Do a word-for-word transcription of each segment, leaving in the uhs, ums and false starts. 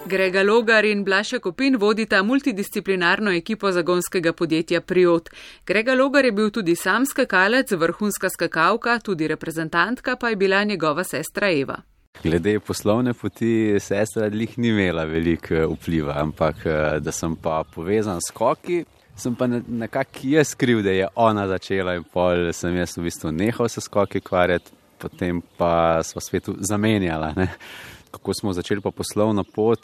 Grega Logar in Blaž Jakopin vodita multidisciplinarno ekipo zagonskega podjetja Priot. Grega Logar je bil tudi sam skakalec, vrhunska skakalka, tudi reprezentantka pa je bila njegova sestra Eva. Glede poslovne poti sestra lih ni imela veliko vpliva, ampak da sem pa povezan s skoki, sem pa nekako jaz kriv, da je ona začela in pol sem jaz v bistvu nehal se skoki kvarjati, potem pa sva svetu zamenjala. Ne? Kako smo začeli pa poslovno pot,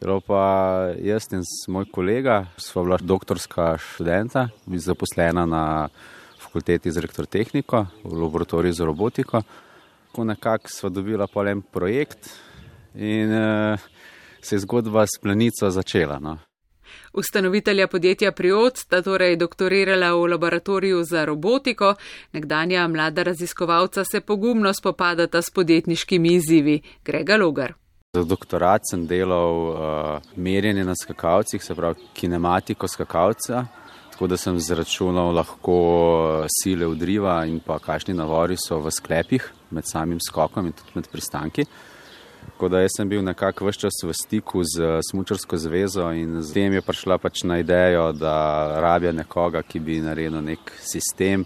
bilo pa jaz in moj kolega, sva bila doktorska študenta, zaposlena na fakulteti za elektrotehniko, v laboratoriju za robotiko. Tako nekako sva dobila pol en projekt in uh, se je zgodba s Planico začela. No. Ustanovitelja podjetja Priot sta torej doktorirala v laboratoriju za robotiko, nekdanja mlada raziskovalca se pogumno spopadata s podjetniškimi izzivi. Grega Logar. Za doktorat sem delal uh, merjenje na skakalcih, se pravi kinematiko skakalca, tako da sem zračunal lahko sile udriva in pa kakšni navori so v sklepih med samim skokom in tudi med pristanki. Tako da jaz sem bil nekako ves čas v stiku z Smučarsko zvezo in z tem je prišla pač na idejo, da rabijo nekoga, ki bi naredil nek sistem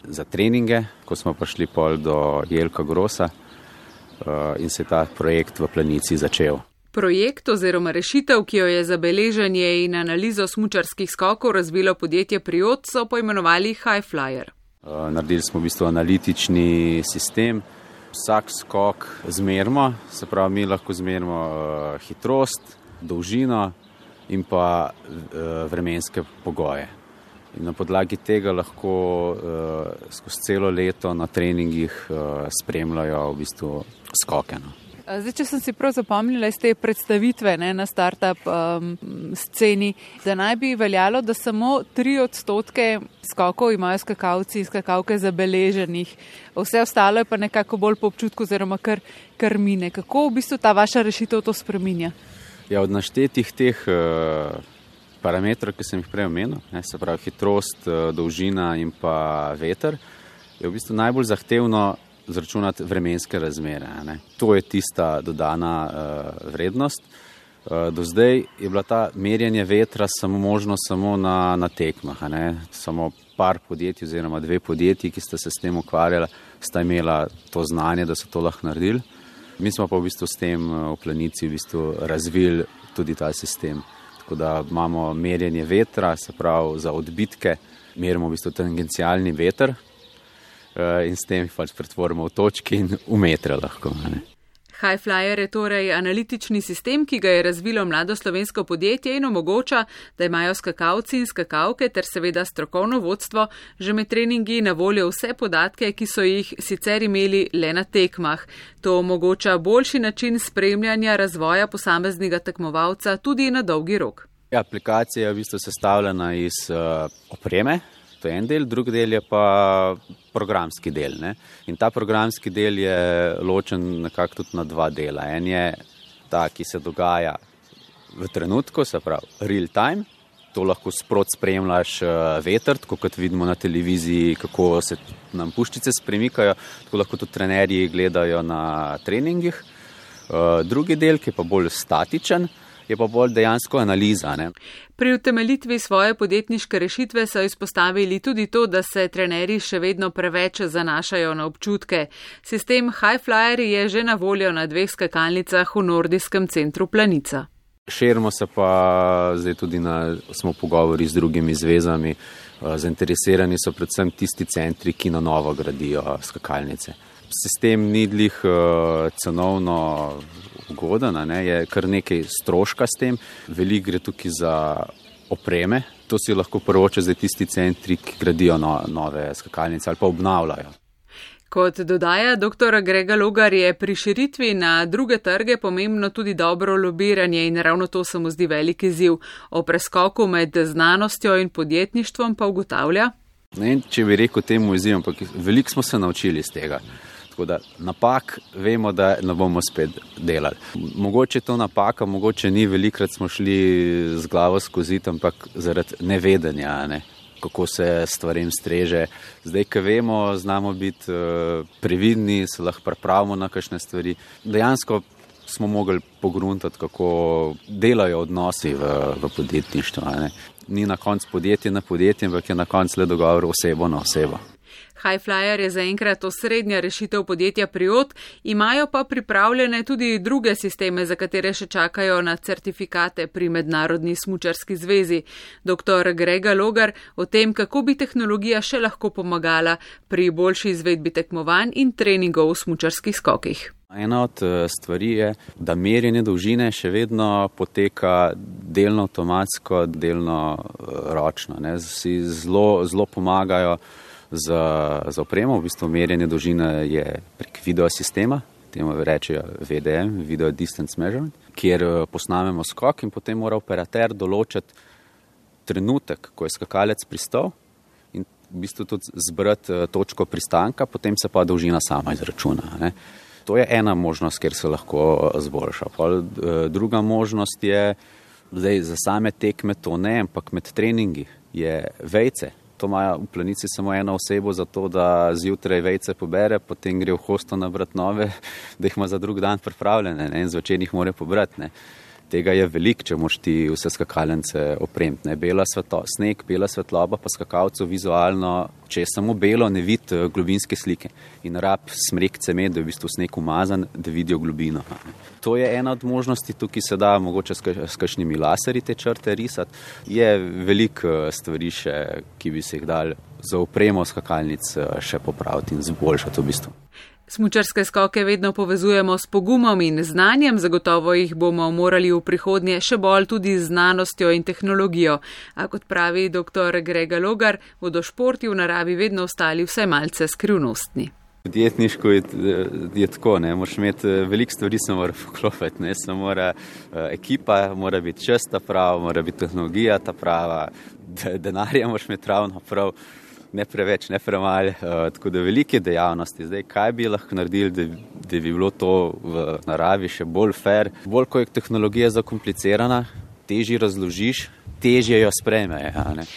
za treninge, ko smo prišli pol do Jelka Grosa uh, in se je ta projekt v Planici začel. Projekt oziroma rešitev, ki jo je za beleženje in analizo smučarskih skokov razvilo podjetje Priot, so poimenovali Highflyer. Uh, naredili smo v bistvu analitični sistem. Vsak skok zmerimo, se pravi, mi lahko zmerimo uh, hitrost, dolžino in pa uh, vremenske pogoje. In na podlagi tega lahko uh, skozi celo leto na treningih uh, spremljajo v bistvu skoke. No. Zdaj, če sem si prav zapomnila iz te predstavitve ne, na startup um, sceni, da naj bi veljalo, da samo tri odstotke skokov imajo skakalci in skakalke zabeleženih. Vse ostalo je pa nekako bolj po občutku oziroma kar, kar mine. Kako v bistvu ta vaša rešitev to spreminja? Ja, od naštetih teh uh, parametrov, ki sem jih prej omenil, ne, se pravi hitrost, uh, dolžina in pa veter, je v bistvu najbolj zahtevno zračunati vremenske razmere. Ne. To je tista dodana uh, vrednost. Uh, do zdaj je bila ta merjenje vetra samo možno samo na, na tekmah. Ne. Samo par podjetij oziroma dve podjetji, ki sta se s tem ukvarjala, sta imela to znanje, da so to lahko naredili. Mi smo pa v bistvu s tem v Planici v bistvu razvili tudi ta sistem. Tako da imamo merjenje vetra, se pravi za odbitke, merimo v bistvu tangencialni veter, in s tem pač pretvorimo v točki in v metre lahko. Ne. Highflyer je torej analitični sistem, ki ga je razvilo mlado slovensko podjetje in omogoča, da imajo skakalci in skakalke ter seveda strokovno vodstvo že med treningi na voljo vse podatke, ki so jih sicer imeli le na tekmah. To omogoča boljši način spremljanja razvoja posameznega tekmovalca tudi na dolgi rok. Ja, aplikacija je v bistvu sestavljena iz uh, opreme. To je en del, drugi del je pa programski del. Ne? In ta programski del je ločen nekako tudi na dva dela. En je ta, ki se dogaja v trenutku, se pravi real time. To lahko sprot spremljaš veter, tako kot vidimo na televiziji, kako se nam puščice spremikajo, tako lahko tudi trenerji gledajo na treningih. Drugi del, ki je pa bolj statičen, je pa bolj dejansko analiza. Ne? Pri utemeljitvi svoje podjetniške rešitve so izpostavili tudi to, da se trenerji še vedno preveč zanašajo na občutke. Sistem Highflyer je že na voljo na dveh skakalnicah v nordijskem centru Planica. Širimo se pa zdaj tudi na, smo pogovori z drugimi zvezami. Zainteresirani so predvsem tisti centri, ki na novo gradijo skakalnice. Sistem ni glih cenovno ugoden, ne, je kar nekaj stroška s tem, veliko gre tukaj za opreme, to si lahko prvoče zdaj tisti centri, ki gradijo no, nove skakalnice ali pa obnavljajo. Kot dodaja doktor Grega Logar, je pri širitvi na druge trge pomembno tudi dobro lobiranje in ravno to se mu zdi velik izziv. O preskoku med znanostjo in podjetništvom pa ugotavlja. Ne, če bi rekel temu izzivu, ampak veliko smo se naučili iz tega. Tako da napak vemo, da ne bomo spet delali. Mogoče je to napaka, mogoče ni, velikrat smo šli z glavo skozi, ampak zaradi nevedenja, ne, kako se stvarem streže. Zdaj, ko vemo, znamo biti uh, previdni, se lahko pripravimo na kakšne stvari. Dejansko smo mogli pogruntati, kako delajo odnosi v, v podjetništvu. Ne. Ni na koncu podjetje na podjetje, ampak je na koncu le dogovor osebo na osebo. Highflyer je zaenkrat osrednja rešitev podjetja Priot, imajo pa pripravljene tudi druge sisteme, za katere še čakajo na certifikate pri Mednarodni smučarski zvezi. doktor Grega Logar o tem, kako bi tehnologija še lahko pomagala pri boljši izvedbi tekmovanj in treningov v smučarskih skokih. Ena od stvari je, da merjenje dolžine še vedno poteka delno avtomatsko, delno ročno. Ne. Si zelo, zelo pomagajo za, za opremo, v bistvu merjenje dolžine je prek video sistema, temu rečejo V D M, Video Distance Measurement, kjer posnamemo skok in potem mora operater določiti trenutek, ko je skakalec pristal in v bistvu tudi zbrati točko pristanka, potem se pa dolžina sama izračuna. Ne. To je ena možnost, kjer se lahko zboljša. Pol, druga možnost je, zdaj za same tekme to ne, ampak med treningi je vejce. To imajo v Planici samo eno osebo za to, da zjutraj vejce pobere, potem gre v hosto nabrati nove, da jih ima za drug dan pripravljene, ne, in zvečer jih mora pobrati. Ne. Tega je veliko, če moš ti vse skakalence opremiti. Ne. Bela svetlo, sneg, bela svetloba pa skakalcev vizualno, če je samo belo, ne vidi globinske slike. In rab smrek cemet, da je v bistvu sneg umazan, da vidijo globino. To je ena od možnosti, tukaj se da mogoče s kakšnimi laserji te črte risati. Je veliko stvari še, ki bi se jih dali za opremo skakalnic še popraviti in zboljšati v bistvu. Smučarske skoke vedno povezujemo s pogumom in znanjem, zagotovo jih bomo morali v prihodnje še bolj tudi z znanostjo in tehnologijo. A kot pravi doktor Grega Logar, bodo športi v naravi vedno ostali vsaj malce skrivnostni. Podjetniško je, je tako, ne, moraš imeti veliko stvari, se mora poklopiti, ne, se mora ekipa, mora biti čas ta prava, mora biti tehnologija ta prava, denarja moraš imeti ravno prav. Ne preveč, ne premalo, uh, tako da velike dejavnosti. Zdaj, kaj bi lahko naredili, da, da bi bilo to v naravi še bolj fair? Bolj, ko je tehnologija zakomplicirana, težje razložiš, težje jo sprejme. Ja, ne?